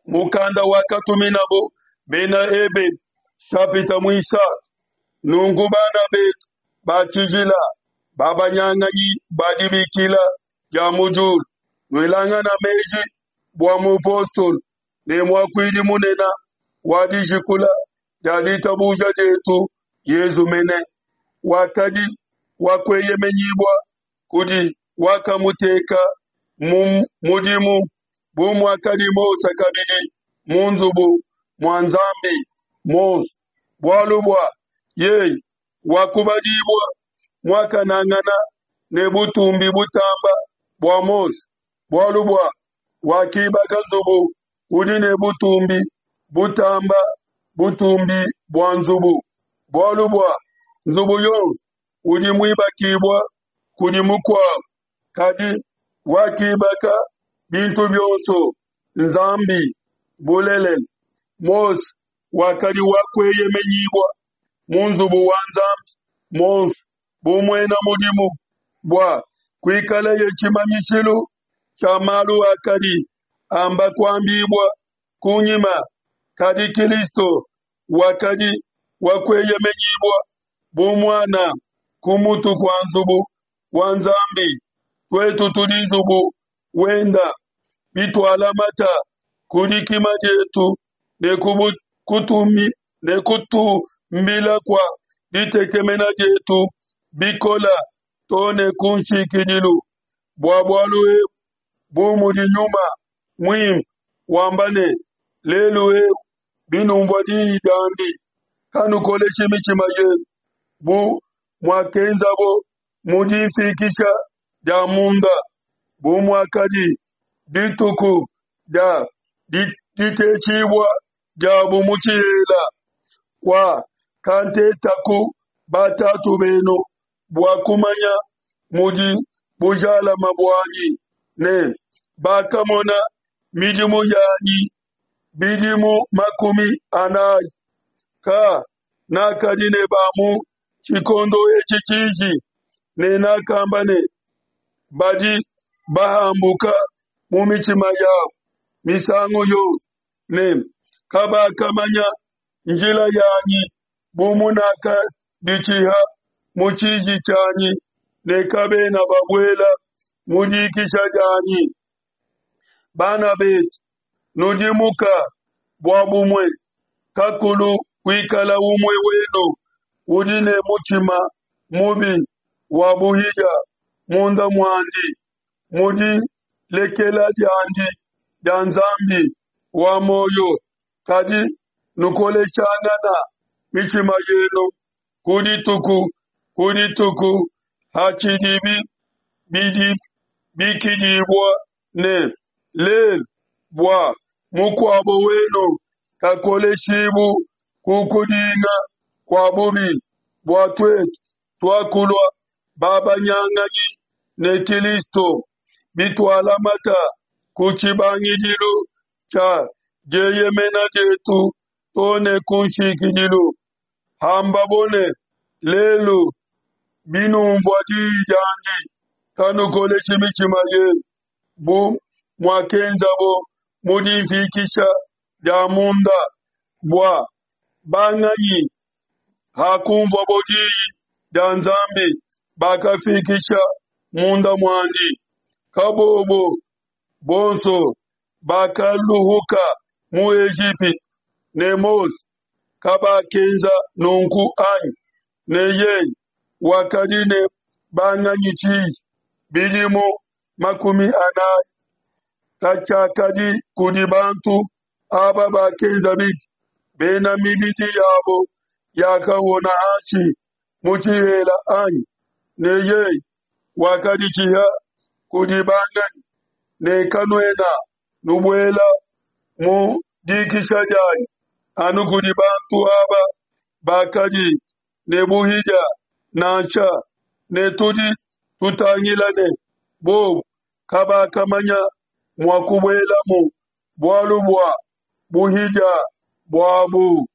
Mukanda wakatuminabo Bena Ebelu, shapita muisatu. Nunku bana betu ba tshijila, babanyanganyi ba dibikila dia mu diulu, nuelangana meji bua mupostolo ne muakuidi munene wa dijikula dia ditabuja dietu, Yezu mene, wakadi wa kueyemenyibua kudi wakamuteka mu mudimu, bu muakadi Mose kabidi mu nzubu mua Nzambi muonso, bualu bua yeye wakubadibua muakanangana ne butumbi butamba bua Mose, bualu bua wakibaka nzubu udi ne butumbi butamba butumbi bua nzubu, bualu bua nzubu yonso udi muibakibua kudi mukuabu, kadi wakibaka bintu bionso Nzambi. Bulelela, Mose wakadi wa kueyemenyibua mu nzubu wa Nzambi muonso bu muena mudimu, bua kuikalaye tshimanyishilu tshia malu akadi amba kuambibua kunyima, kadi Kilisto wakadi wa kueyemenyibua bu muana ku mutu kua nzubu wa Nzambi. Tuetu tudi nzubu wenda bitualamata ku dikima dietu ne ne kutumbila kua ditekemena dietu bikola to ne ku nshikidilu. Bua bualu ebu, bu mudi Nyuma Muimpe wamba ne, Lelu eu binumvua diyi diandi, kanukoleshi mitshima yenu bu muakenzabo mu difikisha dia munda, bu muakadi dituku dia ditetshibua diabu mu tshihela, kua kantetaku batatu benu bua kumanya mudi bujalama buanyi, ne bakamona midimu yanyi bidimu 40. Ka nakadi ne ba mu tshikondo etshi tshiji, ne nakamba ne, Badi bahambuka mu mitshima yabo misangu yonso, ne kabakamanya njila yanyi, bu munakaditshiha mu tshiji tshianyi ne kabena babuela mu dikisha dianyi. Bana betu, nudimuka bua bumue kakulu kuikala umue wenu udi ne mutshima mubi wa buhidia munda muandi, mu dilekela diandi dia Nzambi wa muoyo, kadi nukoleshangana mitshima yenu ku dituku ku dituku hatshidibi bidibikidibua ne, Lelu, bua mukuabo wenu kakoleshibu ku kudinga kua bubi, bua tuetu tuakulua babanyanganyi ne Kilisto, bitualamata ku tshibangidilu tshia dieyemena dietu to ne ku nshikidilu. Hambabo ne, Lelu, binumvua diyi diandi, kanukoleshi mitshima yenu bu muakenzabo mu difikisha dia munda, bua banganyi hakunvuabo diyi dia Nzambi bakafikisha munda muandi. Kabobo bonso bakaluhuka mu Ejipitu ne Mose kabakenza nunku anyi? Ne yeye wakadi ne banganyi tshiji bidimu 40 katshiakadi kudi bantu aba bakenza bibi, bena mibidi yabo yakahona hanshi mu tshihela anyi? Ne yeye wakaditshiha kudi banganyi ne kanuena nubuela mu dikisha dianyi anu kudi bantu aba bakadi ne buhidia nansha, ne tudi tutangila ne bobu kabakamanya mua kubuelamu bualu bua buhidia buabu.